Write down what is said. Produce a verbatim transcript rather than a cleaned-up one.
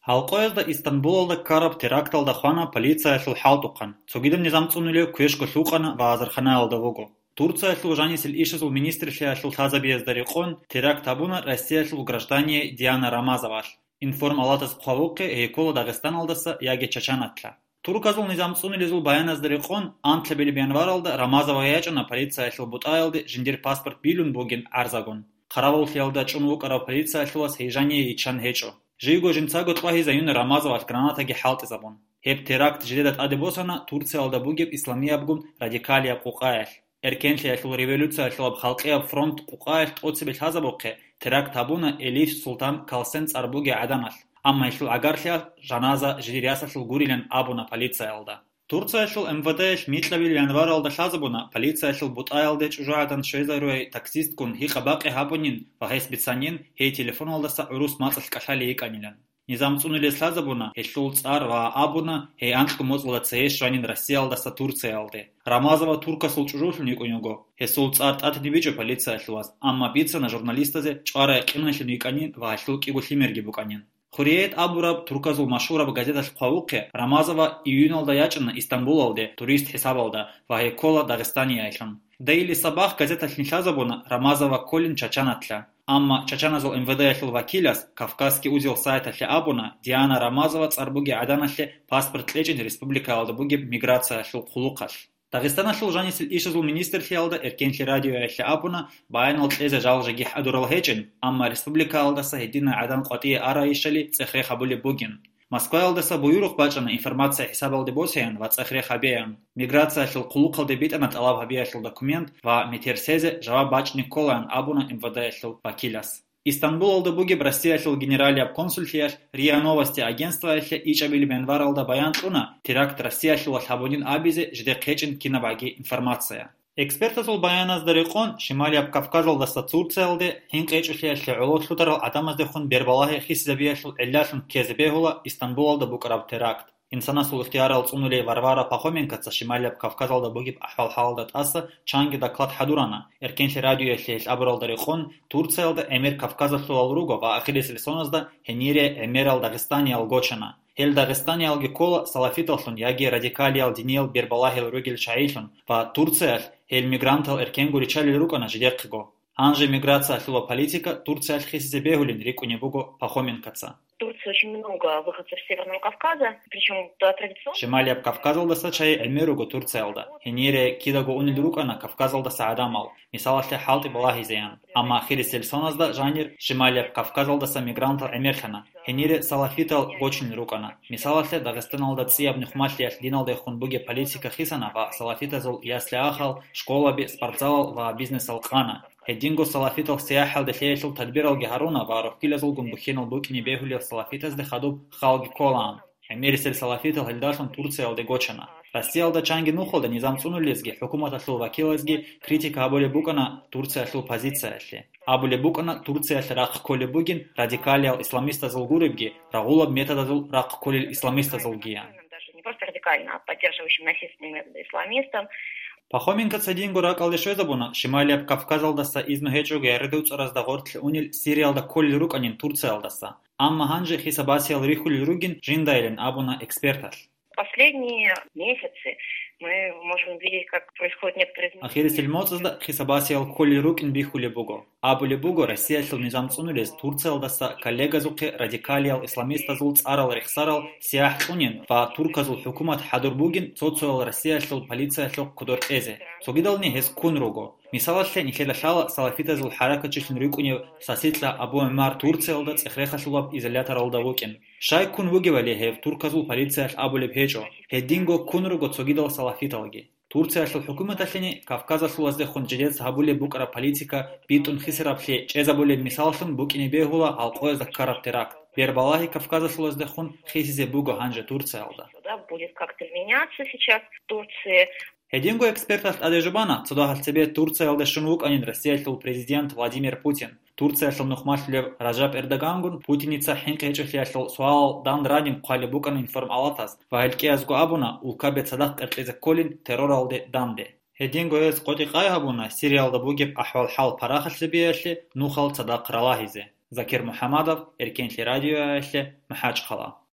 Гьалкъоязда Истанбулалда ккараб теракталда хвана полициялъул хӀалтӀухъан, цогидаб низам цӀунулев квешго лъукъана ва азарханаялда вуго. Турциялъул жанисел ишазул министрлъиялъул лъазабиязда рекъон теракт гьабуна Россиялъул граждание Диана Рамазовалъ. Информалатаз хъвавухъе гьей ккола Дагъистаналдаса яги Чачанатла. Турказул низам цӀунулезул баяназда рекъон, анлъабилеб январалда Рамазова ячӀана полициялъул бутӀаялде жиндир паспорт билун бугин гӀарзагун. Хъаравуллъиялда чӀун вукӀарав полициялъулас гьей жание йиччан гьечӀо. Живго жинцаго кьвагьизаюна Рамазовалъ гранатаги хӀалтӀизабун. Гьеб теракт жидеда тӀаде босана Турциялда бугеб исламиябгун радикалияб къукъаялъ. Эркенлъиялъул революциялъулаб халкъияб фронт къукъаялъ тӀоцебе лъазабухъе теракт гьабуна Элиф Султан Калсен цӀар бугей гӀаданалъ, амма гьелъул гӀагарлъиялъ жаназа жидер ясалъул гурилан абуна полициялда. Турциялъул МВД-ялъ микьабил январалда лъазабуна полициялъул бутӀаялде чӀужугӀадан щвезаруй таксистгун гьикъа-бакъи гьабунин ва гьес бицанин гьей телефоналдаса гӀурус мацӀалъ кӀалъалей йикӀанилан. Низам цӀунулес лъазабуна гьелъул цӀар ва абуна, гьей анкьго моцӀалда цее щванин Россиялдаса Турциялде. Рамазова туркасул чӀужулъун йикӀун йиго. Гьесул цӀар тӀатиниб бичӀо полициялъулас, амма бицана журналистазе чӀварай къиналъун йикӀанин ва гьелъул кӀиго лъимерги букӀанин. Хурриет абураб турказул машгьураб газеталъ хъвавухъе, Рамазова июналда ячӀана Истанбулалде турист хӀисабалда ва гьей ккола Дагъистаниялъун. Daily Sabah газеталъ нилъазабуна Рамазова кколин Чачанатла. Амма чачаназул МВД-ялъул вакилас Кавказский узел сайталъе абуна Диана Рамазова цӀар бугей гӀаданалъе паспорт кьечӀин республикаялда бугеб миграциялъул хъулухъалъ. Дагъистаналъул жанисел ишазул министрлъиялда Эркенлъи радиоялъе абуна баянал кьезе жал-жеги хӀадурал гьечӀин, амма республикаялдаса гьединай гӀадан къватӀие арайищали цӀех-рех гьабулеб бугин. Москваялдаса буюрухъ бачӀана информация хӀисабалде босеян ва цӀех-рех гьабеян. Миграциялъул хъулухъалде битӀана тӀалаб гьабиялъул документ ва метер сезе жаваб бачӀни кколаан абуна МВД-ялъул вакилас. Истанбулалда бугеб Россиялъул генералияб консуллъиялъ РИА Новости агентствоялъе ичӀабилеб январалда баян кьуна теракт Россиялъулалъ гьабунин абизе жидехъ гьечӀин кинабгӀаги информация. Экспертазул баяназда рекъон, Шималияб Кавказалдаса Турциялде хӀинкъи гьечӀолъиялъе гӀоло лъутарал гӀадамаздехун бербалагьи хисизабиялъул гӀиллалъун ккезе бегьула Истанбулалда букӀараб теракт. Инсанасул ихтиярал цӀунулей Варвара Пахоменкоца Шималияб Кавказалда бугеб ахӀвал-хӀалалда тӀаса чанги доклад хӀадурана. Эркенлъи радиоялъе гьелъ абуралда рекъон, Турциялда гӀемер кавказалъулал руго ва ахирисел соназда гьенире гӀемерал дагъистаниял гочана. Гьел дагъистаниялги ккола салафиталлъун яги радикалиял диниял бербалагьил ругел чагӀилъун ва Турциялъ гьел мигрантал эркенго риччалел рукӀана жидехъего. Гьанже миграциялъула политика Турциялъ хисизе бегьулин рикӀкӀунеб буго Пахоменкоца. В Турции очень много выходцев с Северного Кавказа, причём, да, традиционно. Шималияб Кавказалдаса чагӀи гӀемер руго Турциялда. Гьенире кидаго унел рукӀана Кавказалдаса гӀадамал, мисалалъе, хӀалтӀи балагьизеян. Амма ахирисел соназда жанир Шималияб Кавказалдаса мигрантал гӀемерлъана. Гьенире салафитал гочунел рукӀана. Мисалалъе, Дагъистаналда цӀияб нухмалъиялъ диналдехун бугеб политика хисана ва салафитазул ясли-ахал, школаби, спортзалал ва бизнесал къана. Гьединго салафитал сияхӀалде лъеялъул тадбиралги гьаруна ва рохьилазулгун бухьинал букӀине бегьулел салафитазде хадуб халги кколаан. ГӀемерисел салафитал гьелдалъун Турциялде гочана. Россиялда чанги нухалда низам цӀунулезги хӀукуматалъул вакилазги критика гьабулеб букӀана Турциялъул позициялъе. Абулеб букӀана, Турциялъе рахъ кколеб бугин радикалиял исламистазул гуребги, рагъулаб методазул рахъ кколел исламистазулгиян. Даже не просто радикально, а поддерживающим насильственным методы исламистам. Пахоменкоца динго ракӀалде щвезабуна, Шималияб Кавказалдаса изну гьечӀого яра дуцӀаразда гъоркье унел Сириялда кколел рукӀанин Турциялдаса. Амма гьанже хисабасиял рихьулел ругин жиндайилан абуна эксперталъ. Последние месяцы мы можем видеть, как происходят некоторые изменения. Ахирисел моцӀазда хисабасиял кколел рукӀин бихьулеб буго. Абулеб буго, Россиялъул низам цӀунулез Турциялдаса коллегазухъе радикалиял исламистазул цӀарал рехсарал сияхӀ кьунин ва турказул хӀукумат хӀадур бугин цо-цоял Россиялъул полициялъухъ кодор кьезе. Цогидални гьез ккун руго. Мисалалъе, нилъеда лъала салафитазул хӀаракатчилъун рукӀунев Саситла Абу ГӀумар Турциялда цӀех-рехалъулаб изоляторалда вукӀин. Щай ккун вугевали, гьев турказул полициялъ абулеб гьечӀо, гьединго ккун руго цогидал салафиталги. Турциялъул хӀукуматалъени Кавказалъулаздехун жидеца гьабулеб букӀараб политика битӀун хисараблъи чӀезабулеб мисаллъун букӀине бегьула гьалкъоязда ккараб теракт. Бербалагьи Кавказалъулаздехун хисизе буго гьанже Турциялда. Да, будет как-то меняться сейчас в Турции. Гьединго эксперталъ тӀаде жубана, цо дагьал цебе Турциялда щун вукӀанин Россиялъул президент Владимир Путин. Турциялъул нухмалъулев Ражаб Эрдогангун Путиница хӀинкъи гьечӀолъиялъул суалал дандранин хъвалеб букӀана информалатаз ва гьел кӀиязго абуна, улкаби цадахъ кьеркьезе кколин терроралде данде. Гьединго гьез къотӀи-къай гьабуна Сириялда бугеб ахӀвал-хӀал парахалъ гьабиялъе нухал цадахъ ралагьизе. Закир МухӀамадов, Эркенлъи радиоялъе, МахӀачхъала.